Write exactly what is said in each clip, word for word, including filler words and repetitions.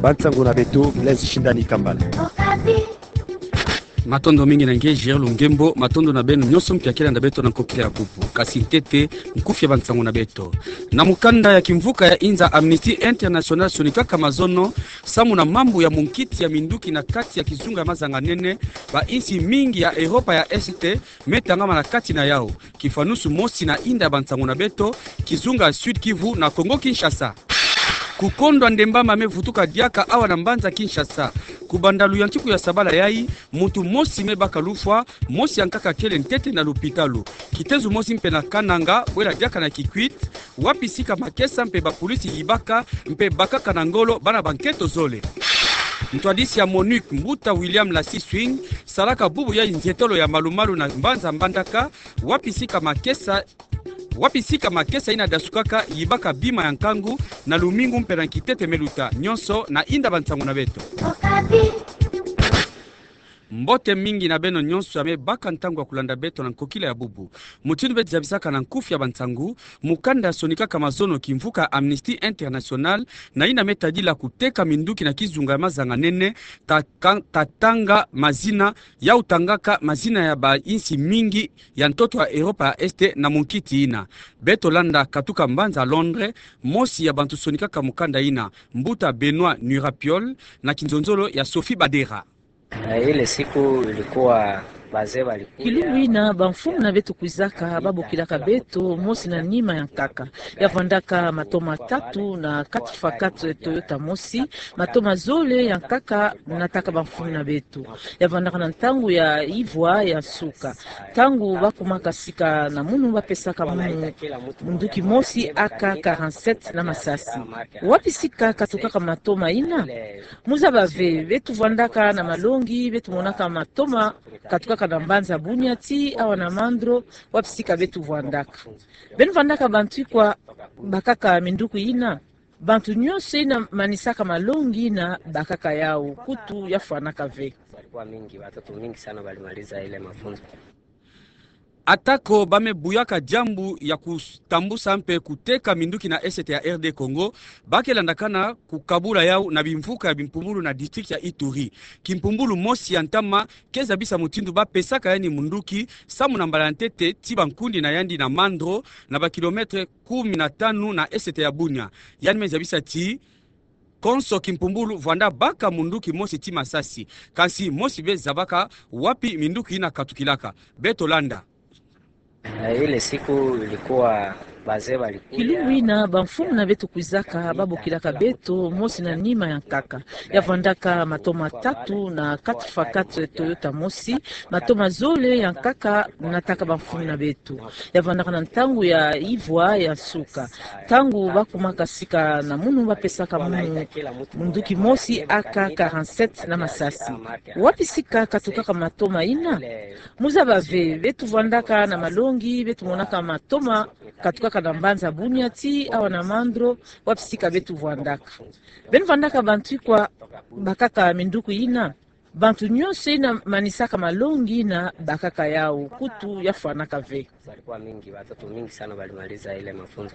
Bansango na beto, Blaise Shindani Kambala. Matondo mingi na nge, Gérard Lungembo. Matondo na beno nyonso mpe ya ke landa beto na nkokila ya bubu. Kasi ntete, nkufi ya bansango na beto. Na mukanda ya kimvuka ya inza, Amnesty International sonikaka mazono samu na mambu ya munkiti ya minduki na kati ya kizunga ya mazanga-nene, bainsi mingi ya Europa ya Est me tangama na kati na yau. Kifanusu mosi na inda ya bansango na beto, kizunga ya Sud-Kivu na Congo-Kinshasa. Kukondwa ndemba mame vutuka diaka awa na mbanza Kinshasa. Kubanda luyantiku ya sabala yai, muntu mosi me baka lufwa, mosi ya nkaka kele ntete na lupitalu. Kitezo mosi mpe na Kananga, bwela diaka na Kikwit, wapi sika makesa mpe bapolisi yibaka mpe bakaka na ngolo bana ba nketo zole. Ntwadisi ya MONUC, mbuta William Lassie Swing, salaka bubu ya nzietolo ya malu-malu na mbanza Mbandaka, wapi sika makesa, wapi sika makesa ina dasukaka yibaka bima ya nkangu na lumingu mpe na kitete me luta, nyonso na inda bansango na beto. Mbote mingi na beno nyonso ya me baka ntangu ya kulanda beto na nkokila ya bubu. Mutindu beto zabisaka na nkufi ya bansango, mukanda sonikaka mazono kimvuka Amnesty International, na ina me tadila kuteka minduki na kizunga ya mazanga-nene, ta-, ka-, tatanga mazina, yau tangaka mazina ya bainsi mingi ya ntoto ya Europa ya Est na munkiti ina. Beto landa katuka mbanza Londres, mosi ya bantu sonikaka mukanda ina, mbuta Benoît Nurapiol, na kinzonzolo ya Sophie Badera. Eh, ile siku ilikuwa wazee walikuja. Kilumbu ina, bamfumu na beto kwizaka, babokilaka beto, mosi na nima ya nkaka. Ya vandaka matoma tatu na quatre fois quatre Toyota mosi, matoma zole ya nkaka nataka bamfumu na beto. Ya vandaka na ntangu ya ivwa ya nsuka. Ntangu bakumaka sika na munu, bapesaka munu munduki mosi A K quarante-sept na masasi. Wapi sika katukaka matoma ina? Mu zaba ve, beto vandaka na malongi, beto monaka matoma katukaka na mbanza Bunia ti awa na Mandro, wapi sika beto vandaka. Beno vandaka bantu ikwa bakaka minduki ina? Bantu nyonso ina manisaka malongi ina bakaka yau, kutu ya fwanaka ve. Walikuwa mingi, watoto mingi sana walimaliza ile mafunzo. Atako ba me buyaka diambu ya kutambusa mpe kuteka minduki na Est ya R D Congo, ba ke landakana kukabula yau na bimvuka ya bimpumbulu na district ya Ituri. Kimpumbulu mosi ya ntama ke zabisa mutindu ba pesaka yandi munduki, samu na mbala ya ntete ti bankundi na yandi na Mandro, na ba kilomètre kumi na tanu na Est ya Bunia. Yandi me zabisa ti konso kimpumbulu vwanda baka munduki mosi ti masasi. Kansi mosi bie zabaka wapi minduki ina katukilaka. Beto landa. Eh, ile siku ilikuwa wazee walikuja. Kilumbu ina, bamfumu na beto kwizaka, babokilaka beto, mosi na nima ya nkaka. Ya vandaka matoma tatu na quatre fois quatre Toyota mosi, matoma zole ya nkaka nataka bamfumu na beto. Ya vandaka na ntangu ya ivwa ya nsuka. Ntangu bakumaka sika na munu, bapesaka munu munduki mosi A K quarante-sept na masasi. Wapi sika katukaka matoma ina? Mu zaba ve, beto vandaka na malongi, beto monaka matoma katukaka na mbanza Bunia ti awa na Mandro, wapi sika beto vandaka. Beno vandaka bantu ikwa bakaka minduki ina? Bantu nyonso ina manisaka malongi ina bakaka yau, kutu ya fwanaka ve. Walikuwa mingi, watoto mingi sana walimaliza ile mafunzo.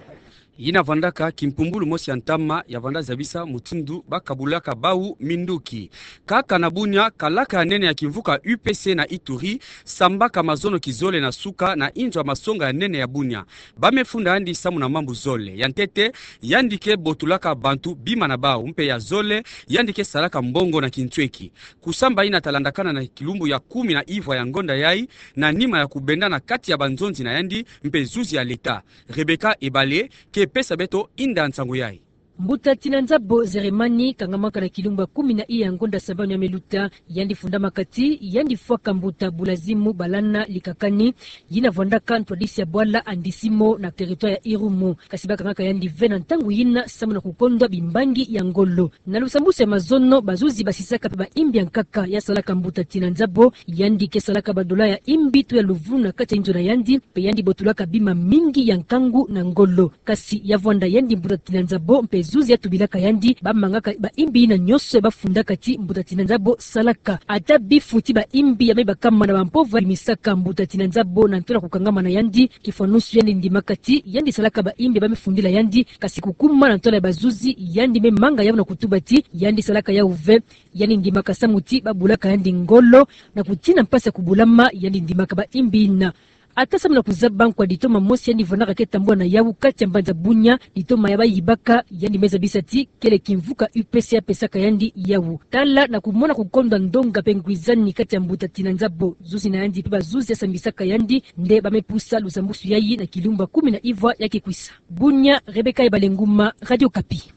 Ina vandaka kimpumbulu mosi ya ntama ya vanda zabisa mutindu ba kabulaka bau minduki. Kaka na Bunia, kalaka ya nene ya kimvuka U P C na Ituri sambaka mazono kizole na suka na inzo ya masonga ya nene ya Bunia. Ba me funda yandi samu na mambu zole. Ya ntete, yandi ke botulaka bantu bima na bau, mpe ya zole, yandi ke salaka mbongo na kintweki. Kusamba ina ta landakana na kilumbu ya kumi na ivwa ya ngonda yai, na nima ya kubenda na kati ya banzonzi na yandi mpe zuzi ya leta. Rebecca Ebale ke pesa beto inda nsangu yai. Mbuta Tina Nzabo Zeremani kangamaka na kilumbu ya kumi na iya ya ngonda sabanu ya me luta, yandi fundamaka ti yandi fwaka mbuta Bulazimu Balana Likakani, yina vwandaka ntwadisi ya bwala Andisimo na territoire ya Irumu. Kasi ba kangaka yandi ve na ntangu yina samu na kukondwa bimbangi ya ngolo. Na lusambusu ya mazono, bazuzi basisaka mpe baimbi ya nkaka ya salaka mbuta Tina Nzabo, yandi ke salaka badola ya imbi to ya luvunu na kati ya inzo na yandi, mpe yandi botulaka bima mingi ya nkangu na ngolo. Kasi ya vwanda yandi mbuta Tina Nzabo mpe Zuzi ya tubilaka yandi, bamangaka baimbi yina nyonso ya bafundaka ti mbuta Tinanzabo salaka. Ata bifu ti baimbi ya me bakama na bampova bimisaka mbuta Tinanzabo na nto na kukangama na yandi, kifwanusu yandi ndimaka ti yandi salaka baimbi ya bamifundila yandi, kasi kukuma na ntwala ya bazuzi, yandi me manga yau na kutuba ti yandi salaka yau ve. Yandi ndimaka samu ti babulaka yandi ngolo, na kutina mpasi ya kubulama, yandi ndimaka baimbi yina. Ata samu na kuzaba nkwa ditoma mosi yandi vandaka ke tambula na yau kati ya mbanza Bunia, ditoma ya bayibaka, yandi me zabisa ti kele kimvuka U P C ya pesaka yandi yau. Tala na kumona kukondwa ndonga mpe ngwizani kati ya mbuta Tinanzabo, zuzi na yandi mpe bazuzi ya sambisaka yandi, nde ba me pusa luzambusu yayi na kilumbu ya kumi na ivwa ya kikwisa. Bunia, Rebecca Ebalenguma, Radio Okapi.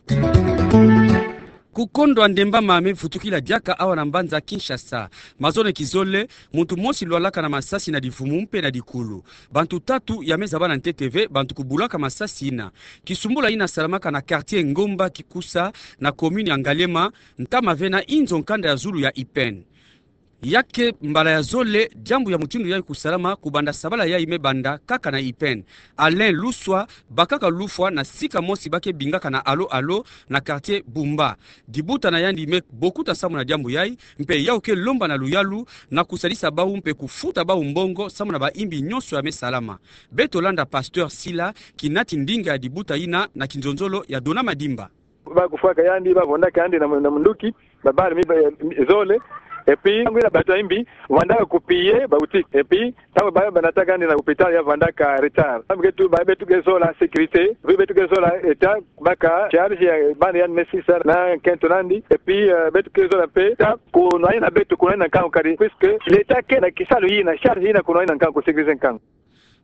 Kukondwa ndembama me vutukila diaka awa na mbanza Kinshasa. Mazono kizole, muntu mosi lwalaka na masasi na divumu mpe na dikulu. Bantu tatu ya me zaba na ntete ve bantu kubulaka masasi yina. Kisumbula yina salamaka na quartier Ngomba Kikusa na commune ya Ngaliema, ntama ve na inzo nkanda ya zulu ya I P N. Ya ke mbala ya zole diambu ya mutindu yayi kusalama, kubanda sabala yayi me banda kaka na I P N. Alain Luswa bakaka lufwa na sika mosi ba ke bingaka na Alo Alo na quartier Bumba. Dibuta na yandi me bokuta samu na diambu yayi, mpe yau ke lomba na luyalu na kusadisa bau mpe kufuta bau mbongo samu na baimbi nyonso ya me salama. Beto landa Pasteur Sila, kinati ndinga ya dibuta yina na kinzonzolo ya Dona Madimba. Ba kufwaka yandi, ba vandaka yandi na, na munduki, ba bala mi, ba, mi zole. Et puis, ntangu yina bantu ya imbi vandaka ku piller ba boutique. Et puis, ntangu ba, ba nataka yandi na hôpital, ya vandaka retard. Samu beto, ba, beto ke zola sécurité, beto ke zola État, baka charge ya bana yandi me sisa na nkento nandi. Et puis, euh, beto ke zola mpe État, kunwani na beto, kunwani na nkangu kadi, puisque l'État ke na kisalu yina, charge yina kunwani na nkangu, ku sécuriser nkangu.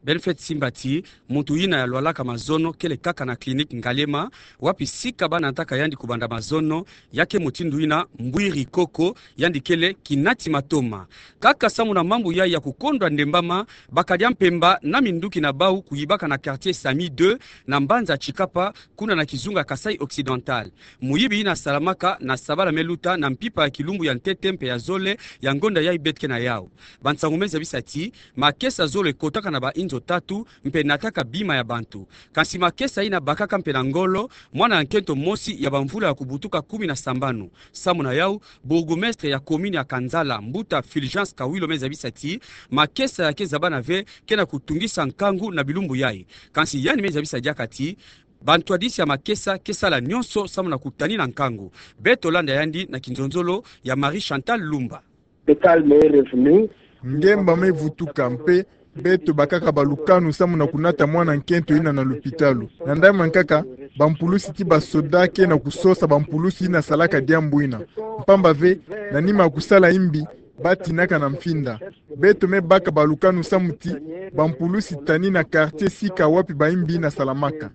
Benefet simba ti muntu yina ya lwalaka mazono kele kaka na clinique Ngaliema, wapi sika ba nataka yandi kubanda mazono. Ya ke mutindu yina mbwiri koko, yandi kele kinati matoma. Kaka samu na mambu yayi ya kukondwa ndembama, bakadia mpemba na minduki na bau kuyibaka na quartier Sami deux na mbanza Tshikapa, kuna na kizunga Kasaï Occidental. Muyibi yina salamaka na sabala me luta na mpimpa ya kilumbu ya ntete mpe ya zole ya ngonda yayi beto ke na yau. Bansangu me zabisa ti makesa zole kotaka na bainzo tatu mpe nataka bima ya bantu. Kansi makesa yina bakaka mpe na ngolo mwana ya nkento mosi ya bamvula ya kubutuka kumi na sambanu. Samu na yau, bourgmestre ya commune ya Kanzala, mbuta Fulgence Kawilo, me zabisa ti makesa ya ke zabana ve ke na kutungisa nkangu na bilumbu yayi. Kansi yandi me zabisa diaka ti bantwadisi ya makesa ke sala nyonso samu na kutanina nkangu. Beto landa yandi na kinzonzolo ya Marie Chantal Lumba. Le calme est revenu. Ngemba me vutuka mpe beto bakaka balukanu samu na kunata mwana nkento yina na lupitalu. Na ndai mankaka, bampulusi ti basoda ke na kusosa bampulusi yina salaka diambu yina. Mpamba ve, na nima ya kusala imbi, ba tinaka na mfinda. Beto me baka balukanu samu ti bampulusi tanina quartier sika wapi baimbi yina salamaka.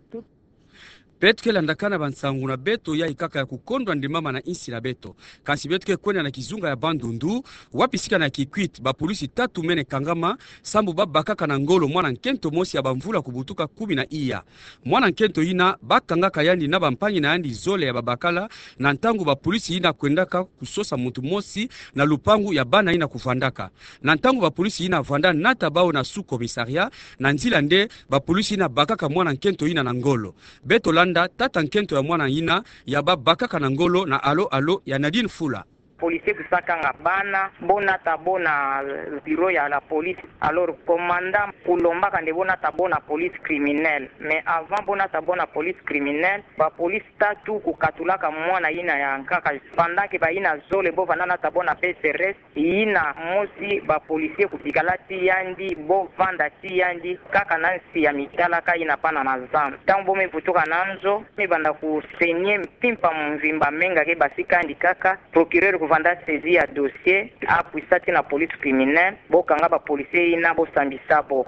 Beto ke landakana bansangu na beto yayi kaka ya kukondwa ndembama na insi na beto. Kansi beto ke kwenda na kizunga ya Bandundu, wapi sika na Kikwit bapolisi tatu mene kangama, sambu ba bakaka na ngolo mwana nkento mosi ya bamvula kubutuka kumi na iya. Mwana nkento yina ba kangaka yandi na bampangi na yandi zole ya babakala, na ntangu bapolisi yina kwendaka kusosa muntu mosi na lupangu ya bana yina kuvandaka. Na ntangu bapolisi yina vanda nata bau na sous-commissariat, na nzila nde bapolisi yina bakaka mwana nkento yina na ngolo. Beto landa tata nkento ya mwana yina ya ba bakaka na ngolo na Alo Alo ya Nadine Fula. Policier kusa kanga bana, bo nata bo na bureau ya la police. Alors, commandant kulombaka nde bo nata bo na police criminelle. Mais avant bo nata bo na police criminelle, bapolisi tatu kukatulaka mwana yina ya nkaka. Pendant que bayina zole bo vanda nata bo na P C R S, yina mosi bapolisier kubikala ti yandi, bo vanda ti yandi kaka na nsi ya mitalaka yina bana na zandu. Ntangu bo me vutuka na nzo, me banda kusaigner mpimpa mvimba, menga ke basika yandi kaka, procureur kuvanda saisir ya dossier, akwisa ti na police criminelle, bo kanga bapolisier yina, bo sambisa bo.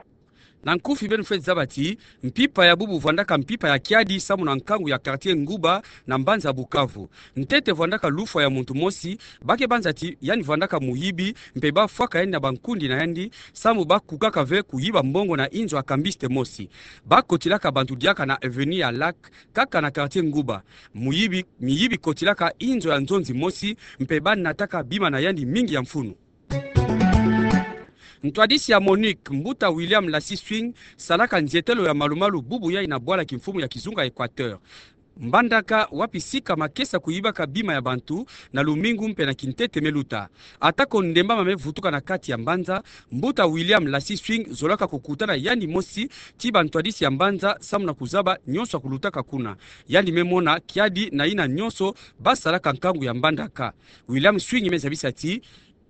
Na nkufi beno fweti zaba ti mpimpa ya bubu vwandaka mpimpa ya kiadi samu na nkangu ya quartier Nguba na mbanza Bukavu. Ntete vwandaka lufwa ya muntu mosi, ba ke banza ti yandi vwandaka muyibi, mpe ba fwaka yandi na bankundi na yandi, samu ba kukaka ve kuyiba mbongo na inzo ya kambiste mosi. Ba kotilaka bantu diaka na avenue ya Lac, kaka na quartier Nguba. Muyibi, miyibi kotilaka inzo ya nzonzi mosi, mpe ba nataka bima na yandi mingi ya mfunu. Ntwadisi ya MONUC, mbuta William Lassy Swing, salaka nzietelo ya malumalu bubu yayi na bwala kimfumu ya kizunga Equateur. Mbandaka, wapi sika makesa kuyibaka bima ya bantu na lumingu mpe na kintete meluta. Atako ndemba mame vutuka na kati ya mbanza, mbuta William Lassie Swing zolaka kukutana yandi mosi ti bantwadisi ya mbanza samu na kuzaba nyonso ya kulutaka kuna. Yandi me mona kiadi na yina nyonso basalaka nkangu ya Mbandaka. William Swing me zabisa ti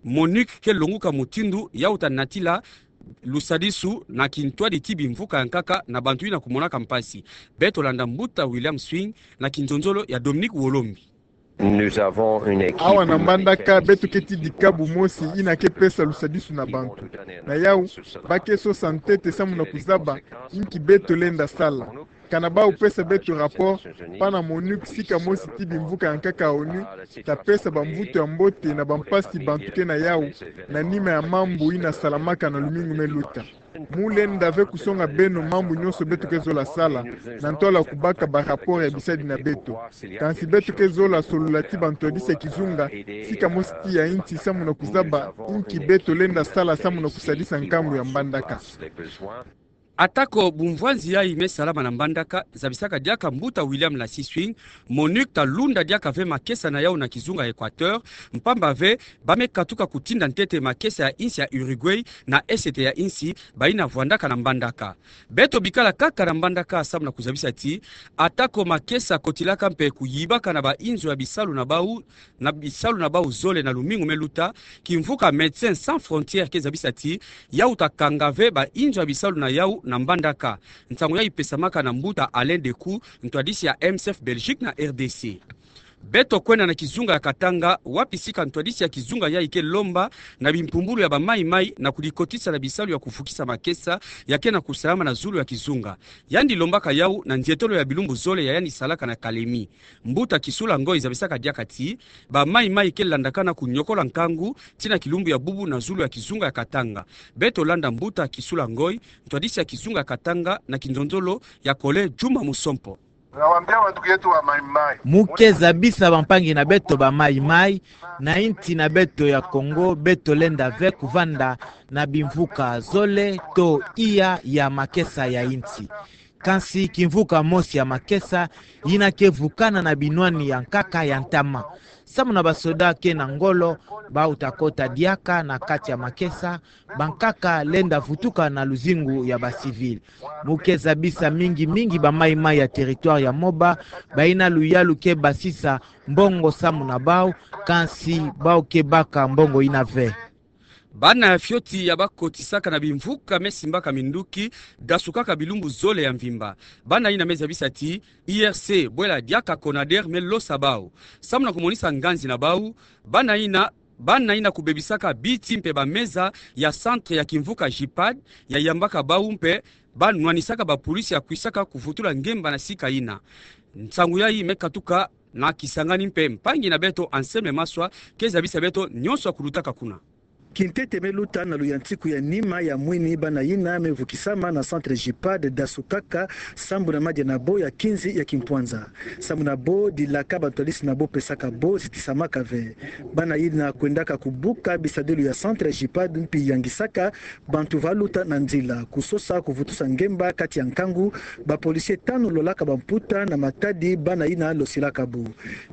MONUC ke longuka mutindu ya uta natila lusadisu na kintwadi ti bimvuka ya nkaka na bantu yina kumonaka mpasi. Beto landa mbuta William Swing na kinzonzolo ya Dominique Wolombi. Awa na Mbandaka, beto ke ti dikabu mosi yina ke pesa lusadisu na bantu. Na yau, ba ke sosa ntete samu na kuzaba inki beto lenda sala. Kana bau pesa beto rapport, pana MONUC, sika mosi ti bimvuka ya nkaka ya ONU, ta pesa bamvutu ya mbote na bampasi bantu ke na yau, na nima ya mambu yina salamaka na lumingu meluta. Mu lenda ve kusonga beno mambu nyonso beto ke zola sala, na ntwala kubaka ba rapport ya bisadi na beto. Kansi beto ke zola solola ti bantwadisi ya kizunga, sika mosi ti ya insi samu na kuzaba inki beto lenda sala samu na kusadisa nkangu ya Mbandaka. Atako bumvwanzi yayi me salama na Mbandaka, zabisaka diaka mbuta William Lassie Swing, MONUC ta lunda diaka ve makesa na yau na kizunga Equateur, mpamba ve ba me katuka kutinda ntete makesa ya insi ya Uruguay na esete ya insi, bayina vwandaka na Mbandaka. Beto bikala kaka na Mbandaka samu na kuzabisa ti, atako makesa kotilaka mpe kuyibaka na bainzo ya bisalu na bau, na bisalu na bau zole na lumingu meluta, kimvuka Médecins Sans Frontières ke zabisa ti, ya uta kanga ve bainzo ya bisalu na yau na Mbandaka. Nsangu yayi pesamaka na mbuta Alain Decou, ntwadisi ya M S F Belgique na R D C. Beto kwenda na kizunga ya Katanga, wapi sika ntwadisi ya kizunga yayi ke lomba na bimpumbulu ya ba Mai Mai na kudikotisa na bisalu ya kuvukisa makesa ya ke na kusalama na zulu ya kizunga. Yandi lombaka yau na nzietolo ya bilumbu zole ya yandi salaka na Kalemi. Mbuta Kisula Ngoy zabisaka diaka ti, ba Mai Mai ke landaka na kunyokola nkangu ti na kilumbu ya bubu na zulu ya kizunga ya Katanga. Beto landa mbuta Kisula Ngoy, ntwadisi ya kizunga ya Katanga, na kinzonzolo ya Kole Juma Musompo. Mu ke zabisa bampangi na beto ba Mai Mai, na insi na beto ya Kongo, beto lenda ve kuvanda na bimvuka zole to iya ya makesa ya insi. Kansi kimvuka mosi ya makesa yina ke vukana na binwani ya nkaka ya ntama. Samu na basoda ke na ngolo, bau ta kota diaka na kati ya makesa, bankaka lenda vutuka na luzingu ya ba civil. Mu ke zabisa mingi mingi ba Mai Mai ya territoire ya Moba, bayina luyalu ke basisa mbongo samu na bau, kansi bau ke baka mbongo yina ve. Bana ya fioti ya bakotisaka na bimvuka me simbaka minduki, dasukaka bilumbu zole ya mvimba. Bana yina me zabisa ti, I R C, bwela diaka Conader me losa bau. Samu na kumonisa nganzi na bau, bana yina, bana yina kubebisaka biti mpe bameza ya centre ya kimvuka JIPAD, ya yambaka bau mpe, ba nwanisaka ba pulisi ya kwisaka kuvutula ngemba na sika yina. Nsangu yayi me katuka na Kisangani mpe mpangi na beto Anselme Maswa ke zabisa beto nyonso ya kulutaka kuna. Kintete me luta na luyantiku ya nima ya mwini bana yina me vukisama na centre JIPAD dasukaka sambu na madia na bo ya kinzi ya kimpwanza. Sambu na bo dilaka bantwadisi na bo pesaka bo zitisamaka ve. Bana yina kwendaka kubuka bisadilu ya centre JIPAD mpi yangisaka bantu va luta na nzila, kusosa kuvutusa ngemba kati ya nkangu, ba policiers tanu lolaka bamputa na matadi bana yina losilaka bo.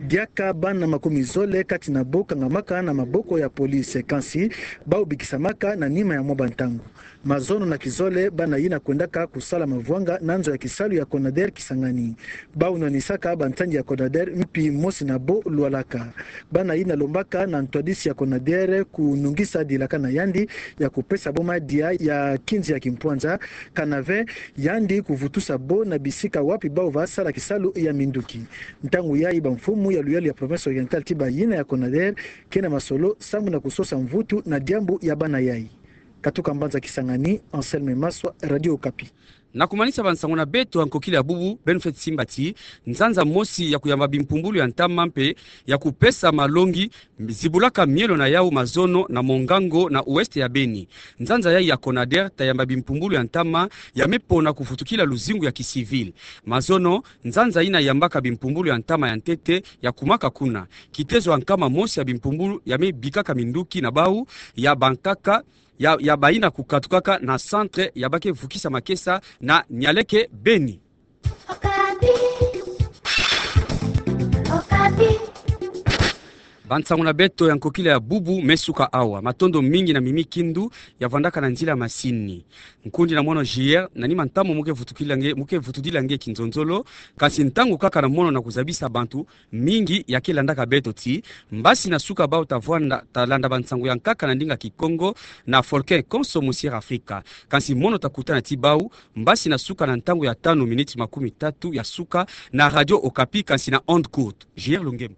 Diaka bana makumi zole kati na bo kangamaka na maboko ya police, kansi bau bikisamaka na nima ya mwa bantangu. Mazono na kizole, bana yina kwendaka kusala mavwanga na nzo ya kisalu ya Conader Kisangani. Bau nwanisaka bansangi ya Conader mpi mosi na bo lwalaka. Bana yina lombaka na ntwadisi ya Conader kunungisa dilaka na yandi ya kupesa bo madia ya kinzi ya kimpwanza, kana ve yandi kuvutusa bo na bisika wapi bau va sala kisalu ya minduki. Ntangu yayi bamfumu ya luyalu ya province orientale ti bayina ya Conader ke na masolo sambu na kusosa mvutu na diambu ya bana yayi. Katuka mbanza Kisangani, Anselme Maswa, Radio Okapi. Na kumanisa bansangu na beto ya nkokila ya bubu, beno fweti simba ti nzanza mosi ya kuyamba bimpumbulu ya ntama mpe ya kupesa malongi zibulaka mielo na yau mazono na Mongango na ouest ya Beni. Nzanza yayi ya Conader ta yamba bimpumbulu ya ntama ya me pona kuvutukila luzingu ya kicivil. Mazono, nzanza yina yambaka bimpumbulu ya ntama ya ntete ya kumaka kuna. Kitezo ya nkama mosi ya bimpumbulu ya me bikaka minduki na bau ya bankaka ya, ya bayina kukatukaka na centre ya ba ke vukisa makesa na Nialeke Beni. Bansangu na beto ya nkokila ya bubu me suka awa. Matondo mingi na Mimi Kindu ya vandaka na nzila masini. Nkundi na mono J R, nani mantamu mu ke vutukila nge, mu ke vutudila nge kinzonzolo, kansi ntangu kaka na mono na kuzabisa bantu mingi ya ke landaka beto ti, mbasi na suka bau ta vwanda, ta landa bansangu ya nkaka na ndinga Kikongo na Folkin konso mu Sierra Afrika. Kansi mono ta kutana ti bau, mbasi na suka na ntangu ya tanu miniti makumi tatu ya suka na Radio Okapi kansi na Onde Courte. J R Lungem.